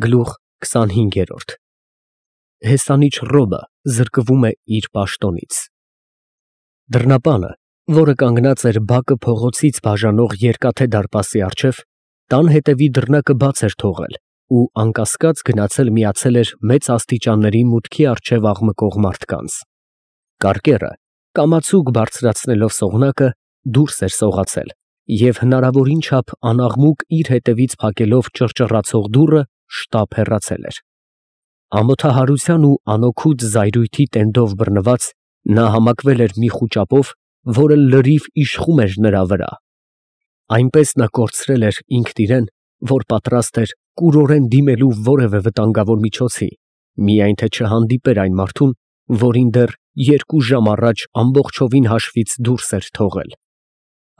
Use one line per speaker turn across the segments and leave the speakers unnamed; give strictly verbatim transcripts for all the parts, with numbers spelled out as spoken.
Գլուխ քսանհինգ։ Հեսանիչ ռոբը զրկվում է իր պաշտոնից։ Դռնապանը, որը կանգնած էր բակը փողոցից բաժանող երկաթե դարպասի առջև, տան հետևի դռնակը բաց էր թողել ու անկասկած գնացել միացել էր մեծ աստիճանների մուտքի առջև աղմկող մարդկանց։ Կարկեռը, կամացուկ բարձրացնելով սողնակը, դուրս էր սողացել և հնարավորին չափ անաղմուկ իր հետևից փակելով ճռճռացող դուռը, շտապ հեռացել էր։ Ամոթահարության ու անօգուտ զայրույթի տենդով բռնված, նա համակվել էր մի խուճապով, որը լրիվ իշխում էր նրա վրա։ Այնպես նա կորցրել էր ինքն իրեն, որ պատրաստ էր կուրորեն դիմելու որևէ վտանգավոր միջոցի, միայն թե չհանդիպեր այն մարդուն, որին դեռ երկու ժամ առաջ ամբողջովին հաշվից դուրս էր թողել։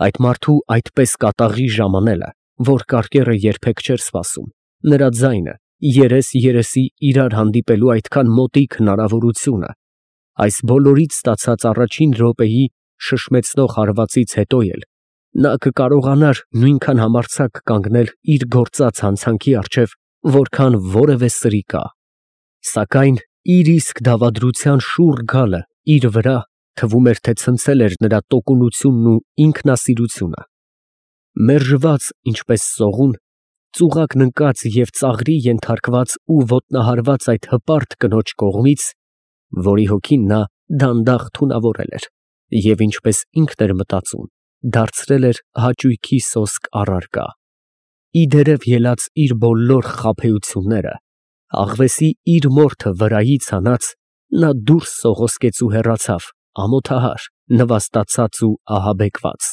Այդ մարդու այդպես կատաղի ժամանելը, որ կարկեռը երբեք չէր սպասում, նրա ձայնը, երես երեսի իրար հանդիպելու այդքան մոտիկ հնարավորությունը, այս բոլորից ստացած առաջին րոպեի շշմեցնող հարվածից հետո էլ նա կկարողանար նույնքան համարձակ կանգնել իր գործած հանցանքի առջև, որքան որևէ սրիկա։ Սակայն իր իսկ դավադրության շուռ գալը իր վրա, թվում էր, թե ցնցել էր նրա տոկունությունն ու ինքնասիրությունը։ Մերժված ինչպես սողուն, ծուղակն ընկած և ծաղրի ենթարկված ու ոտնահարված այդ հպարտ կնոջ կողմից, որի հոգին նա դանդաղ թունավորել էր և, ինչպես ինքն էր մտածում, դարձրել էր հաճույքի սոսկ առարկա, ի դերև ելած իր բոլոր խաբեությունները, աղվեսի իր մորթը վրայից հանած, նա դուրս սողոսկեց ու հեռացավ, ամոթահար, նվաստացած ու ահաբեկված։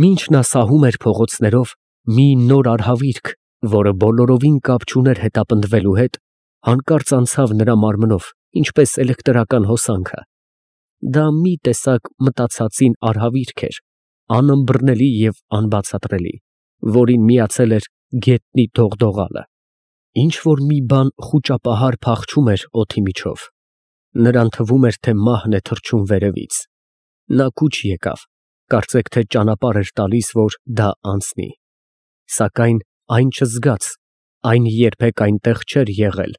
Մինչ նա սահում էր փողոցներով, մի նոր արհավիրք, որը բոլորովին կապ չուներ հետապնդվելու հետ, հանկարծ անցավ նրա մարմնով, ինչպես էլեկտրական հոսանքը։ Դա մի տեսակ մտածածին արհավիրք էր, անըմբռնելի և անբացատրելի, որին միացել էր գետնի դողդողալը։ Ինչ֊որ մի բան խուճապահար փախչում էր օդի միջով։ Նրան թվում էր, թե մահն է թռչում վերևից։ Նա կուչ եկավ, կարծեք թե ճանապարհ էր տալիս, որ դա անցնի։ Սակայն այն չզգաց, այն երբեք այնտեղ չէր եղել,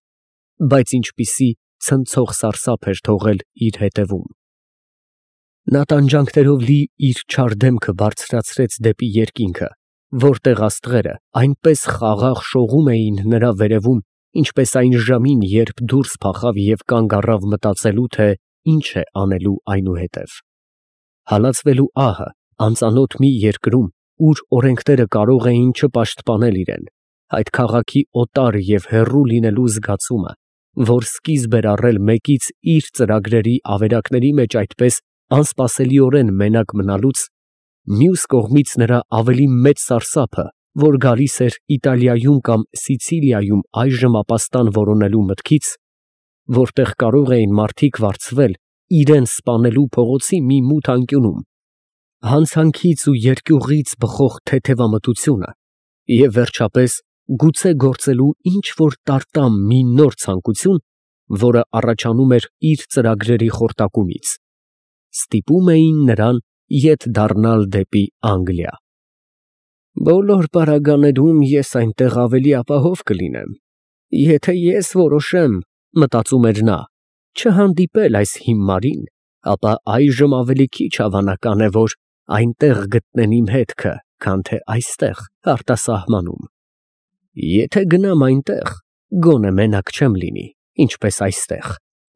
բայց ինչպիսի ցնցող սարսափ էր թողել իր հետևում։ Նա տանջանքներով լի իր չար դեմքը բարձրացրեց դեպի երկինքը, որտեղ աստղերը այնպես խաղաղ շողում էին նրա վերևում, ինչպես այն ժամին, երբ դուրս փախավ և կանգ առավ մտածելու, թե ինչ է անելու այնուհետև։ Հալածվելու ահը անծանոթ մի երկրում, ուր օրենքները կարող էին չպաշտպանել իրեն, այդ քաղաքի օտար և հեռու լինելու զգացումը, որ սկիզբ էր առել մեկից իր ծրագրերի ավերակների մեջ այդպես անսպասելիորեն մենակ մնալուց, մյուս կողմից նրա ավելի մեծ սարսափը, որ գալիս էր Իտալիայում կամ Սիցիլիայում այժմ ապաստան որոնելու մտքից, որտեղ կարող էին մարդիկ վարձվել իրան սպանելու փողոցի մի մութ անկյունում, հանցանքից ու երկյուղից բխող թեթևամտությունը և, վերջապես, գուցե գործելու ինչ֊որ տարտամ մի նոր ցանկություն, որը առաջանում էր իր ծրագրերի խորտակումից, ստիպում էին նրան ետ դառնալ դեպի Անգլիա։ «Բոլոր պարագաներում ես այնտեղ ավելի ապահով կլինեմ, եթե ես որոշեմ, ֊ մտածում էր նա, ֊ չհանդիպել այս հիմարին, ապա այժմ ավելի քիչ հավանական է, որ այնտեղ գտնեն իմ հետքը, քան թե այստեղ արտասահմանում։ Եթե գնամ այնտեղ, գոնե մենակ չեմ լինի, ինչպես այստեղ,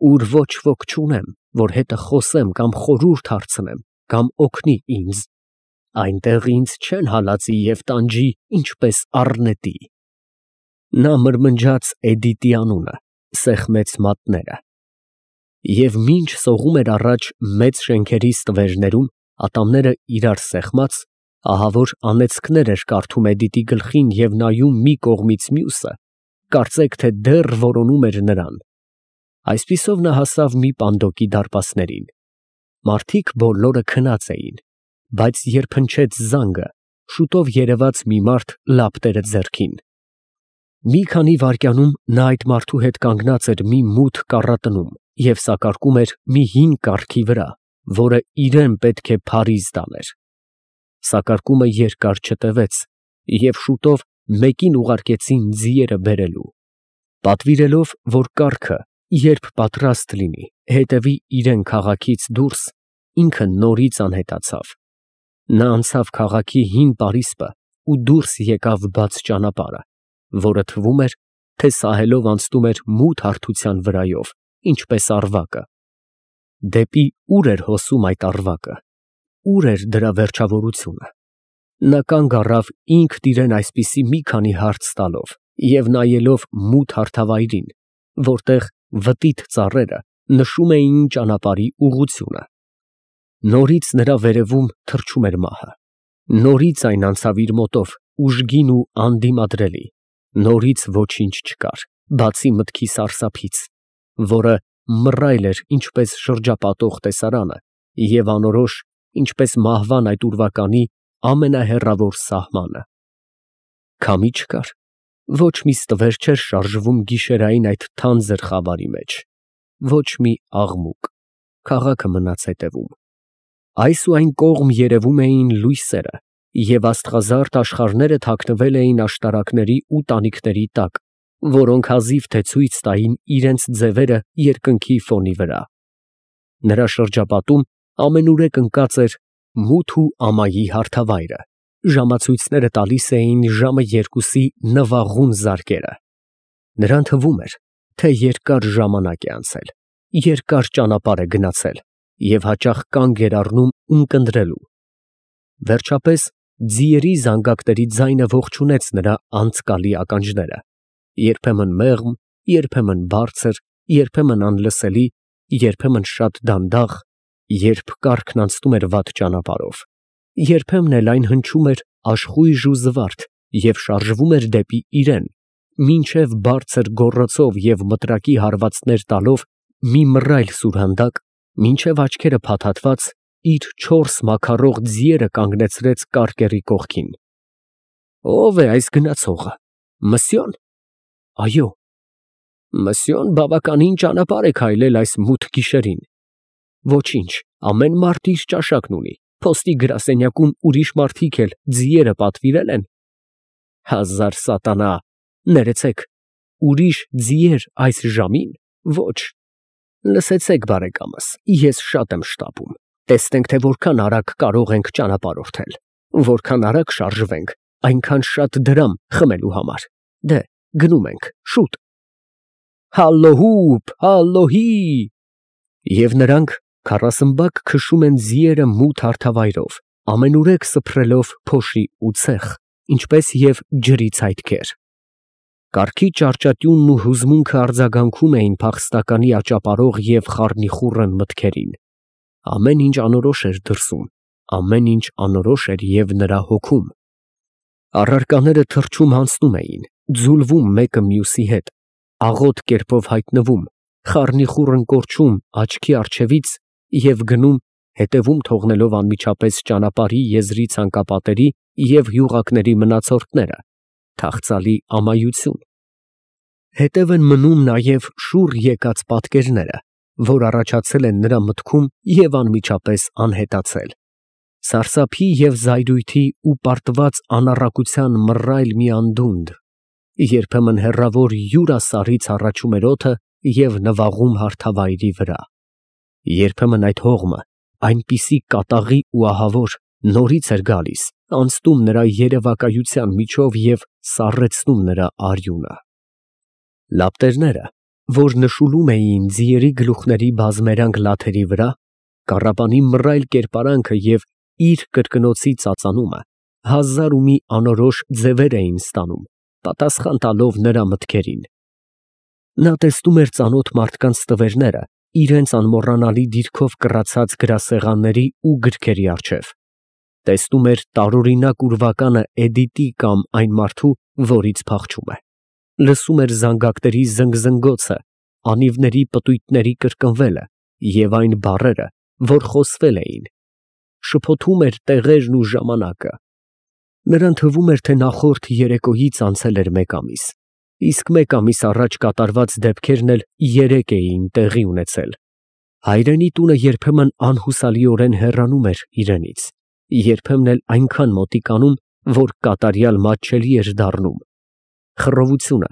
ուր ոչ ոք չունեմ, որ հետը խոսեմ կամ խորհուրդ հարցնեմ, կամ օգնի ինձ. այնտեղ ինձ չեն հալածի և տանջի, ինչպես առնետի»։ Նա մրմնջաց Էդիտի անունը, սեղմեց մատները։ Եվ մինչ սողում էր առաջ մեծ շենքերի ստվերներում, ատամները իրար սեղմած, ահա որ անեծքներ էր կարդում Էդիտի գլխին և նայում մի կողմից մյուսը, կարծեք թե դեռ որոնում էր նրան։ Այսպիսով նա հասավ մի պանդոկի դարպասներին։ Մարդիկ բոլորը քնած էին, բայց երբ հնչեց զանգը, շուտով երևաց մի մարդ լապտերը ձեռքին։ Մի քանի վայրկյանում նա այդ մարդու հետ կանգնած էր մի մութ կառատնում և սակարկում էր մի հին կառքի վրա, որը իրան պետք է փարիզ տաներ։ Սակարկումը երկար չտևեց, և շուտով մեկին ուղարկեցին ձիերը բերելու։ Պատվիրելով, որ կառքը, երբ պատրաստ լինի, հետևի իրեն քաղաքից դուրս, ինքը նորից անհետացավ. նա անցավ քաղաքի հին պարիսպը ու դուրս եկավ բաց ճանապարհը, որը թվում էր, թե սահելով անցնում էր մութ հարթության վրայով, ինչպես առվակը։ Դեպի ուր էր հոսում այդ առվակը, ուր էր դրա վերջավորությունը։ Նա կանգ առավ ինքն իրեն այսպիսի մի քանի հարց տալով և նայելով մութ հարթավայրին, որտեղ վտիտ ծառերը նշում էին ճանապարհի ուղղությունը։ Նորից նրա վերևում թռչում էր մահը, նորից այն անցավ իր մոտով ուժգին ու անդիմադրելի, նորից ոչինչ չկար, բացի մտքի սարսափից, որը մռայլ էր ինչպես շրջապատող տեսարանը և անորոշ, ինչպես մահվան այդ ուրվականի ամենահեռավոր սահմանը։ Քամի չկար, ոչ մի ստվեր չէր շարժվում գիշերային այդ թանձր խավարի մեջ, ոչ մի աղմուկ, քաղաքը մնաց հետևում։ Այս ու այն կողմ երևում էին լույսերը, և աստղազարդ աշխարհները թաքնվել էին աշտարակների ու տանիքների տակ, որոնք հազիվ թե ցույց տային իրենց ձևերը երկնքի ֆոնի վրա։ Նրա շրջապատում ամենուրեք ընկած էր մութ ու ամայի հարթավայրը, ժամացույցները տալիս էին ժամը երկուսի նվաղուն զարկերը։ Նրան թվում էր, թե երկար ժամանակ է անցել, երկար ճանապարհ է գնացել և հաճախ կանգ էր առնում ունկնդրելու։ Վերջապես ձիերի զանգակների ձայնը ողջունեց նրա անցկալի ականջները, երբեմն մեղմ, երբեմն բարձր, երբեմն անլսելի, երբեմն շատ դանդաղ, երբ կառքն անցնում էր վատ ճանապարհով, երբեմն էլ այն հնչում էր աշխույժ ու զվարթ և շարժվում էր դեպի իրեն, մինչև բարձր գոռոցով և մտրակի հարվածներ տալով մի մռայլ սուրհանդակ, մինչև աչքերը փաթաթված, իր չորս մաքարող ձիերը կանգնեցրեց կարկերի կողքին։ Ո՞վ է այս գնացողը, Մսյո՞ն։ Այո։ Մսյոն բավականին ճանապարհ է քայլել այս մութ գիշերին։ Ոչինչ, ամեն մարդ իր ճաշակն ունի, փոստի գրասենյակում ուրիշ մարդիկ էլ ձիերը պատվիրել են։ Հազար սատանա, ներեցեք, ուրիշ ձիեր այս ժամին, ոչ։ Լսեցեք, բարեկամս, ես շատ եմ շտապում, տեսնենք, թե որքան արագ կարող ենք ճանապարհորդել, որքան արագ շարժվենք, այնքան շատ դրամ խմելու համար։ Դե, գնում ենք, շուտ։ Հալլոհուպ, հալլոհի։ Եվ նրանք քառասմբակ քշում են ձիերը մութ հարթավայրով, ամենուրեք սփռելով փոշի ու ցեխ, ինչպես և ջրի ցայտքեր։ Կառքի ճարճատյունն ու հուզմունքը արձագանքում էին փախստականի աճապարող և խառնիխուռն մտքերին։ Ամեն ինչ անորոշ էր դրսում, ամեն ինչ անորոշ էր և նրա հոգում։ Առարկաները թռչում հանձնում էին, ձուլվում մեկը մյուսի հետ, աղոտ կերպով հայտնվում, խառնիխուռն կորչում աչքի առջևից և գնում, հետևում թողնելով անմիջապես ճանապարհի եզրի ցանկապատերի և յուղակների մնացորդները, թախծալի ամայություն։ Հետև են մնում նաև շուռ եկած պատկերները, որ առաջացել են նրա մտքում և անմիջապես անհետացել։ Սարսափի և զայրույթի ու պարտված անառակության մռայլ մի անդունդ, երբեմն հեռավոր յուրասառից հառաչում էր օդը և նվաղում հարթավայրի վրա։ Երբեմն այդ հողմը, այնպիսի կատաղի ու ահավոր, նորից էր գալիս, անցնում նրա երևակայության միջով և սառեցնում նրա արյունը։ Լապտերները, որ նշուլում էին ձիերի գլուխների բազմերանգ լաթերի վրա, կառապանի մռայլ կերպարանքը և իր կրկնոցի ծածանումը հազար ու մի անորոշ ձևեր էին ստանում, պատասխան տալով նրա մտքերին։ Նա տեսնում էր ծանոթ մարդկանց տվերները իրենց անմոռանալի դիրքով կռացած գրասեղանների ու գրքերի առջև, տեսնում էր տարօրինակ ուրվականը Էդիտի կամ այն մարդու, որից փախչում է, լսում էր զանգակների զնգզնգոցը, անիվների պտույտների կրկնվելը և այն բառերը, որ խոսվել էին, շփոթում էր տեղերն ու ժամանակը։ Նրան թվում էր, թե նախորդ երեկոյից անցել էր մեկ ամիս, իսկ մեկ ամիս առաջ կատարված դեպքերն էլ երեկ էին տեղի ունեցել։ Հայրենի տունը երբեմն անհուսալիորեն հեռանում էր իրենից, երբեմն էլ այնքան մոտիկանում, որ կատարյալ մատչելի էր դառնում։ Խռովությունը,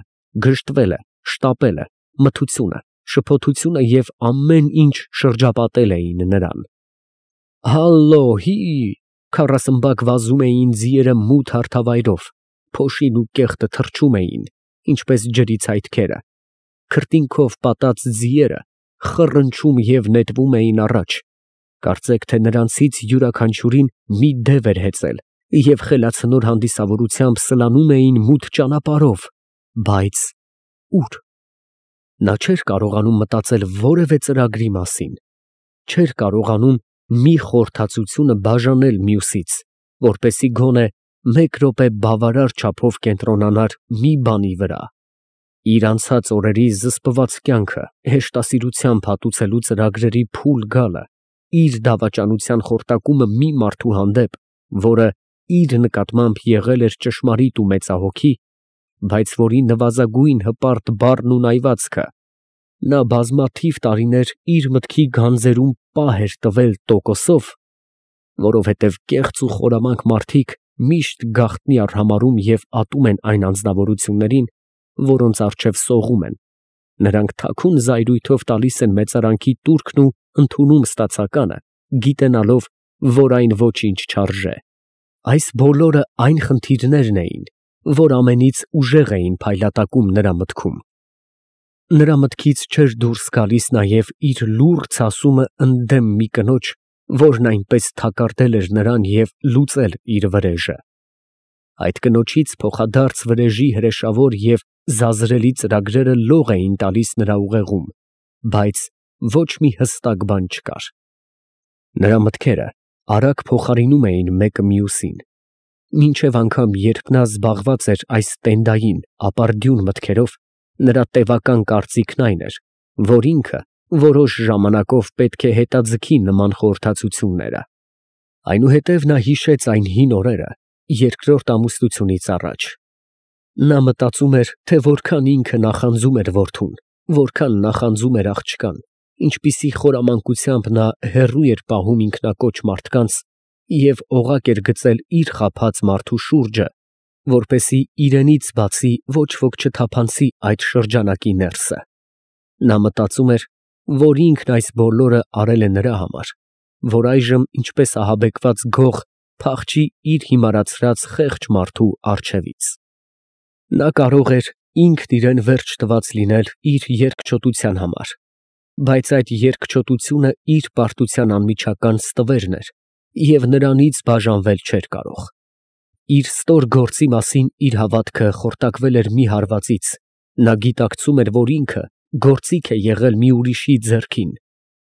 գժտվելը, շտապելը, մթությունը, շփոթությունը և ամեն ինչ շրջապատել էին նրան։ Հալլո, հի, քառասմբակ վազում էին ձիերը մութ հարթավայրով, փոշին ու կեղտը թռչում էին, ինչպես ջրի ցայտքերը, քրտինքով պատած ձիերը խռնչում և նետվում էին առաջ, կարծեք թե նրանցից յուրաքանչյուրին մի դև էր հեծել և խելացնոր հանդիսավորությամբ սլանում էին մութ ճանապարհով, բայց ուր։ Նա չէր կարողանում մտածել որևէ ծրագրի մասին, չէր կարողանում մի խորհրդածությունը բաժանել մյուսից, որպեսզի գոնե մեկ րոպե բավարար չափով կենտրոնանար մի բանի վրա։ Իր անցած օրերի զսպված կյանքը հեշտասիրությամբ հատուցելու ծրագրերի փուլ գալը, իր դավաճանության խորտակումը մի մարդու հանդեպ, որը իր նկատմամբ եղել էր ճշմարիտ ու մեծահոգի, բայց որի նվազագույն հպարտ բառն ու նայվածքը նա բազմաթիվ տարիներ իր մտքի գանձերում պահ էր տվել տոկոսով, որովհետև կեղծ ու խորամանկ մարդիկ միշտ գաղտնի արհամարհում և ատում են այն անձնավորություններին, որոնց առջև սողում են, նրանք թաքուն զայրույթով տալիս են մեծարանքի տուրքն ու ընդունում ստացականը, գիտենալով, որ այն ոչինչ չարժե։ Այս բոլորը այն խնդիրներն էին, որ ամենից ուժեղ էին փայլատակում նրա մտքում։ Նրա մտքից չէր դուրս գալիս նաև իր լուռ ցասումը ընդդեմ մի կնոջ, որն այնպես թակարդել էր նրան և լուծել իր վրեժը։ Այդ կնոջից փոխադարձ վրեժի հրեշավոր և զազրելի ծրագրերը լող էին տալիս նրա ուղեղում, բայց ոչ մի հստակ բան չկար։ Նրա մտքերը արագ փոխարինում էին մեկը մյուսին, մինչև անգամ երբ նա զբաղված էր այս տենդային, ապարդյուն մտքերով, նրա տևական կարծիքն այն էր, որ ինքը որոշ ժամանակով պետք է հետաձգի նման խորհրդածությունները։ Այնուհետև նա հիշեց այն հին օրերը երկրորդ ամուսնությունից առաջ։ Նա մտածում էր, թե որքան ինքը նախանձում էր որդուն, որքան նախանձում էր աղջկան, ինչպիսի խորամանկությամբ նա հեռու էր պահում ինքնակոչ մարդկանց և օղակ էր գծել իր խաբած մարդու շուրջը, որպեսզի իրենից բացի ոչ ոք չթափանցի այդ շրջանակի ներսը։ Նա մտածում էր, որ ինքն այս բոլորը արել է նրա համար, որ այժմ ինչպես ահաբեկված գող փախչի իր հիմարացրած խեղճ մարդու առջևից։ Նա կարող էր ինքն իրեն վերջ տված լինել իր երկչոտության համար, բայց այդ երկչոտությունը իր պարտության անմիջական ստվերն էր և նրանից բաժանվել չէր կարող։ Իր ստոր գործի մասին իր հավատքը խորտակվել էր մի հարվածից, նա գիտակցում էր, որ ինքը գործիք է եղել մի ուրիշի ձեռքին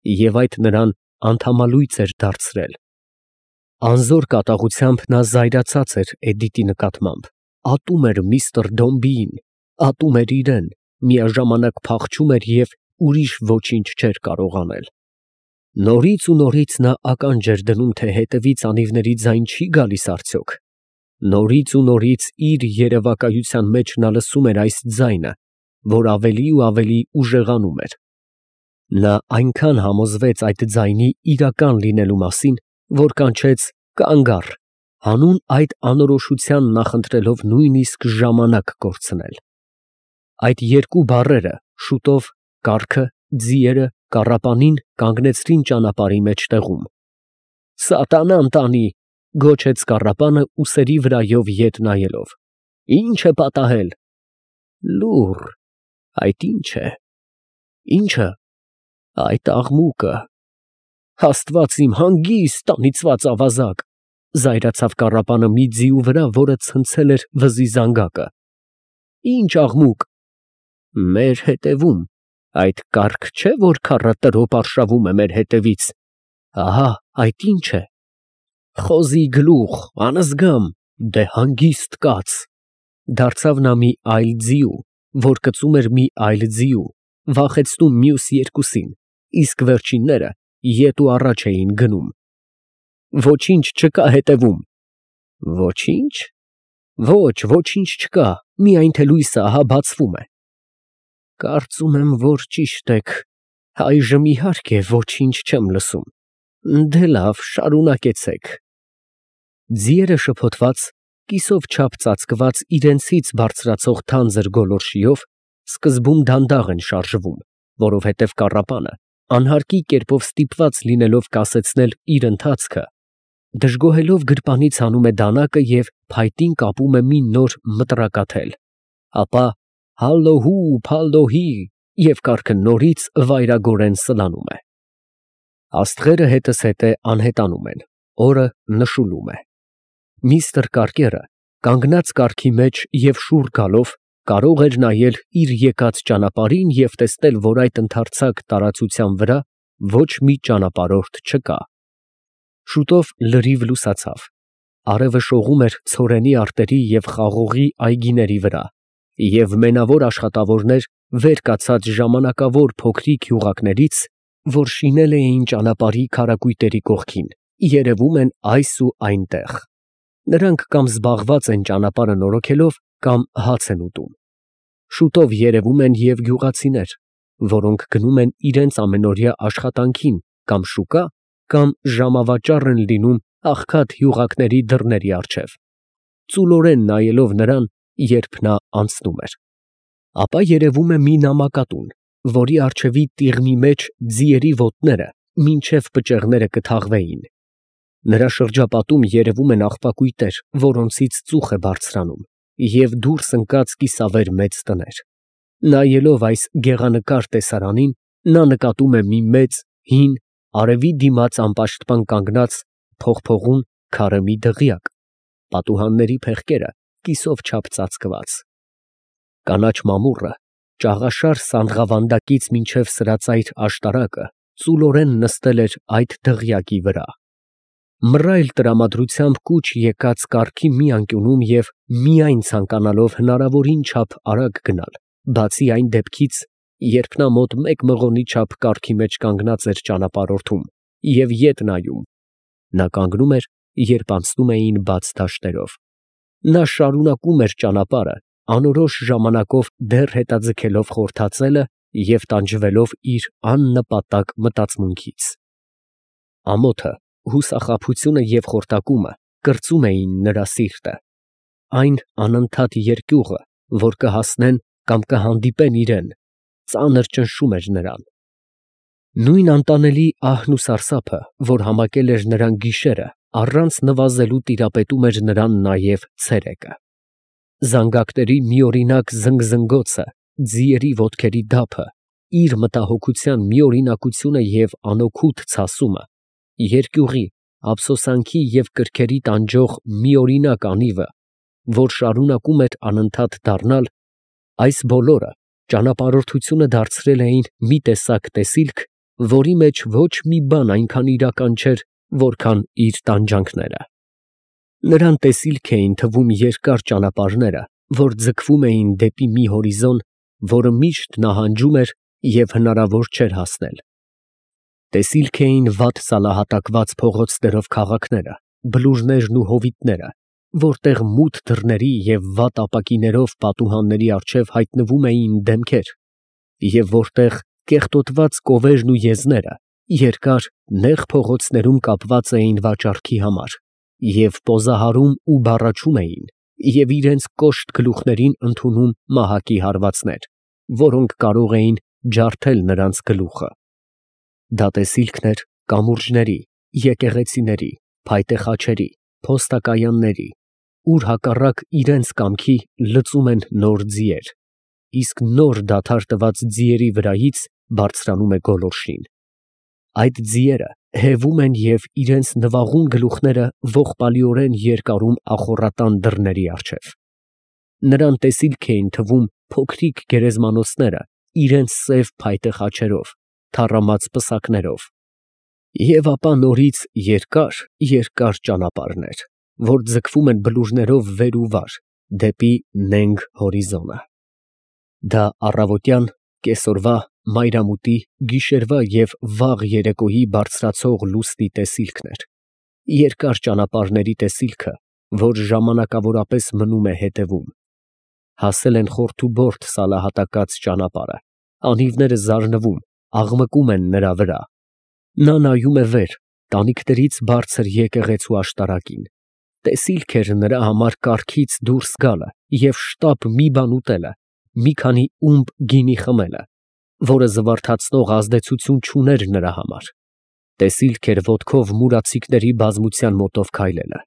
և այդ նրան անդամալույծ էր դարձրել։ Անզոր կատաղությամբ նա զայրացած էր Էդիտի նկատմամբ, ատում էր միստր Դոմբիին, ատում էր իրեն, միաժամանակ փախչում էր և ուրիշ ոչինչ չէր կարող անել։ Նորից ու նորից նա ականջ էր դնում, թե հետևից անիվների ձայն չի գալիս արդյոք։ Նորից ու նորից իր երևակայության մեջ նա լսում էր այս ձայնը, որ ավելի ու ավելի ուժեղանում էր։ Նա այնքան համոզվեց այդ ձայնի իրական լինելու մասին, որ կանչեց «կանգ առ», հանուն այդ անորոշության նախընտրելով նույնիսկ ժամանակ կորցնել։ Այդ երկու բառերը շուտով կառքը, ձիերը, կառապանին կանգնեցրին ճանապարհի մեջտեղում։ «Սատանան տանի», գոչեց կառապանը ուսերի վրայով ետ նայելով։ «Ի՞նչ է պատահել»։ «Լուռ, այդ ի՞նչ է»։ «Ի՞նչը»։ «Այդ աղմուկը»։ «Աստված իմ, հանգիստ, անիծված ավազակ», զայրացավ կառապանը մի ձիու վրա, որը ցնցել էր վզի զանգակը։ «Ի՞նչ աղմուկ»։ «Մեր հետևում, այդ կառք չէ, որ քառը տրոպ արշավում է մեր հետևից։ Ահա այդ ի՞նչ է»։ «Խոզի գլուխ, անզգամ, դե հանգիստ կաց», դարձավ նա մի այլ ձիու, որ կծում էր մի այլ ձիու, վախեցնում մյուս երկուսին, իսկ վերջինները ետ ու առաջ էին գնում։ «Ոչինչ չկա հետևում»։ «Ոչինչ»։ «Ոչ, ոչինչ չկա, միայն թե լույսը ահա բացվում է»։ «Կարծում եմ, որ ճիշտ եք, այժմ իհարկե ոչինչ չեմ լսում։ Դե լավ, շարունակեցեք»։ Ձիերը շփոթված, կիսով չափ ծածկված իրենցից բարձրացող թանձր գոլորշիով, սկզբում դանդաղ են շարժվում, որովհետև կառապանը, անհարկի կերպով ստիպված լինելով կասեցնել իր ընթացքը, դժգոհելով գրպանից հանում է դանակը և փայտին կապում է մի նոր մտրակաթել, ապա հալլոհու, փալլոհի և կառքը նորից վայրագորեն սլանում է։ Աստղերը հետզհետե անհետանում են, օրը նշուլում է։ Միստր Կարկերը, կանգնած կառքի մեջ և շուռ գալով, կարող էր նայել իր եկած ճանապարհին և տեսնել, որ այդ ընդարձակ տարածության վրա ոչ մի ճանապարհորդ չկա։ Շուտով լրիվ լուսացավ, արևը շողում էր ցորենի արտերի և խաղողի այգիների վրա, և մենավոր աշխատավորներ վեր կացած ժամանակավոր փոքրիկ յուղակներից, որ շինել էին ճանապարհի քարակույտերի կողքին, երևում են այս ու այնտեղ. նրանք կամ զբաղված են ճանապարհը նորոգելով, կամ հաց են ուտում։ Շուտով երևում են և գյուղացիներ, որոնք գնում են իրենց ամենօրյա աշխատանքին կամ շուկա, կամ ժամավաճառ են լինում աղքատ յուղակների դռների առջև, ծուլորեն նայելով նրան, երբ նա անցնում էր։ Ապա երևում է մի նամակատուն, որի առջևի տիղմի մեջ ձիերի ոտները մինչև պճեղները կթաղվեին։ Նրա շրջապատում երևում են աղբակույտեր, որոնցից ծուխ է բարձրանում, և դուրս ընկած կիսավեր մեծ տներ։ Նայելով այս գեղանկար տեսարանին, նա նկատում է մի մեծ, հին, արևի դիմաց անպաշտպան կանգնած փողփողուն քարե մի դղյակ, պատուհանների փեղկերը կիսով չափ ծածկված։ Կանաչ մամուռը, ճաղաշար սանձղավանդակից մինչև սրածայր աշտարակը ծուլորեն նստել էր այդ դղյակի վրա։ Մռայլ տրամադրությամբ կուչ եկած կառքի մի անկյունում և միայն ցանկանալով հնարավորին չափ արագ գնալ, բացի այն դեպքից, երբ նա մոտ մեկ մղոնի չափ կառքի մեջ կանգնած էր ճանապարհորդում և ետ նայում, նա կանգնում էր, երբ անցնում էին բաց դաշտերով։ Նա շարունակում էր ճանապարհը, անորոշ ժամանակով դեռ հետաձգելով խորթածելը և տանջվելով իր աննպատակ մտածմունքից։ Ամոթը, հուսախաբությունը և խորտակումը կրծում էին նրա սիրտը։ Այն անընդհատ երկյուղը, որ կհասնեն կամ կհանդիպեն իրան, ծանր ճնշում էր նրան։ Նույն անտանելի ահն ու սարսափը, որ համակել էր նրան գիշերը, առանց նվազելու տիրապետում էր նրան նաև ցերեկը։ Զանգակների միօրինակ զնգզնգոցը, ձիերի ոտքերի դափը, իր մտահոգության միօրինակությունը և անօգուտ ցասումը, երկյուղի, ափսոսանքի և կրքերի տանջող միօրինակ անիվը, որ շարունակում էր անընդհատ դառնալ, այս բոլորը ճանապարհորդությունը դարձրել էին մի տեսակ տեսիլք, որի մեջ ոչ մի բան այնքան իրական չէր, որքան իր տանջանքները։ Նրան տեսիլք էին թվում երկար ճանապարհները, որ ձգվում էին դեպի մի հորիզոն, որը միշտ նահանջում էր և հնարավոր չէր հասնել։ Տեսիլք էին վատ սալահատակված փողոցներով քաղաքները, բլուրներն ու հովիտները, որտեղ մութ դռների և վատ ապակիներով պատուհանների առջև հայտնվում էին դեմքեր, և որտեղ կեղտոտված կովերն ու եզները երկար, նեղ փողոցներում կապված էին վաճառքի համար և պոզահարում ու բառաչում էին և իրենց կոշտ գլուխներին ընդունում մահակի հարվածներ, որոնք կարող էին ջարդել նրանց գլուխը։ Դա տեսիլքն էր կամուրջների, եկեղեցիների, փայտե խաչերի, փոստակայանների, ուր հակառակ իրենց կամքի լծում են նոր ձիեր, իսկ նոր դադար տված ձիերի վրայից բարձրանում է գոլորշին։ Այդ ձիերը հևում են և իրենց նվաղուն գլուխները ողբալիորեն երկարում ախոռատան դռների առջև։ Նրան տեսիլք էին թվում փոքրիկ գերեզմանոցները իրենց սև փայտե խաչերով, թառամած պսակներով, և ապա նորից երկար, երկար ճանապարհներ, որ ձգվում են բլուրներով վեր ու վար դեպի նենգ հորիզոնը։ Դա առավոտյան, կեսօրվա, մայրամուտի, գիշերվա և վաղ երեկոյի բարձրացող լուսնի տեսիլքն էր, երկար ճանապարհների տեսիլքը, որ ժամանակավորապես մնում է հետևում։ Հասել են խորթուբորդ սալահատակած ճանապարհը, անիվները զարնվում, աղմկում են նրա վրա։ Նա նայում է վեր, տանիքներից բարձր եկեղեցու աշտարակին։ Տեսիլք էր նրա համար կառքից դուրս գալը և շտապ մի բան ուտելը, մի քանի ումբ գինի խմելը, որը զվարթացնող ազդեցություն չուներ նրա համար, տեսիլք էր ոտքով մուրացիկների բազմության մոտով քայլելը,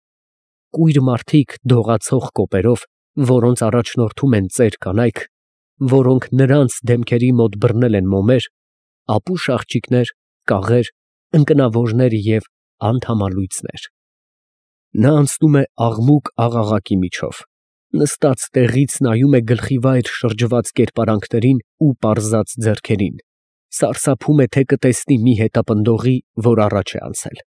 կույր մարդիկ դողացող կոպերով, որոնց առաջնորդում են ծեր կանայք, որոնք նրանց դեմքերի մոտ բռնել են մոմեր, ապուշ աղջիկներ, կաղեր, ընկնավորներ և անթամալույցներ։ Նա անցնում է աղմուկ-աղաղակի միջով, նստած տեղից նայում է գլխիվայր շրջված կերպարանքներին ու պարզած ձեռքերին, սարսափում է, թե կտեսնի մի հետապնդողի, որ առաջ է անցել։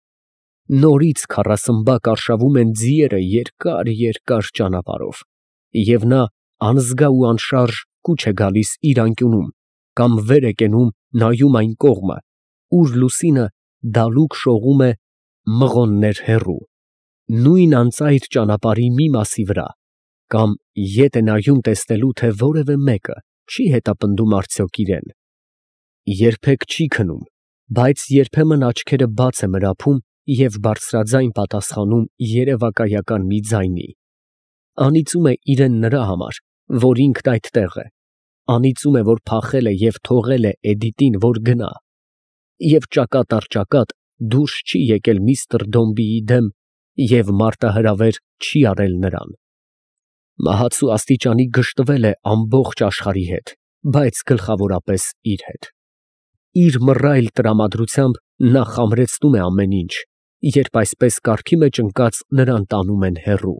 Նորից քառասմբակ արշավում են ձիերը երկար֊երկար ճանապարհով, և նա անզգա ու անշարժ կուչ է գալիս իր անկյունում կամ վեր է կենում, նայում այն կողմը, ուր լուսինը դալուկ շողում է մղոններ հեռու, նույն անծայր ճանապարհի մի մասի վրա, կամ ետ է նայում տեսնելու, թե որևէ մեկը չի հետապնդում արդյոք իրան։ Երբեք չի քնում, բայց երբեմն աչքերը բաց է մրափում և բարձրաձայն պատասխանում երևակայական մի ձայնի, անիծում է իրան նրա համար, որ ինքն այդտեղ է, անիծում է, որ փախել է և թողել է Էդիտին, որ գնա, և ճակատ առ ճակատ դուրս չի եկել միստր Դոմբիի դեմ և մարտահրավեր չի արել նրան։ Մահացու աստիճանի գժտվել է ամբողջ աշխարհի հետ, բայց գլխավորապես իր հետ։ Իր մռայլ տրամադրությամբ նա խամրեցնում է ամեն ինչ, երբ այսպես կարգի մեջ ընկած նրան տանում են հեռու։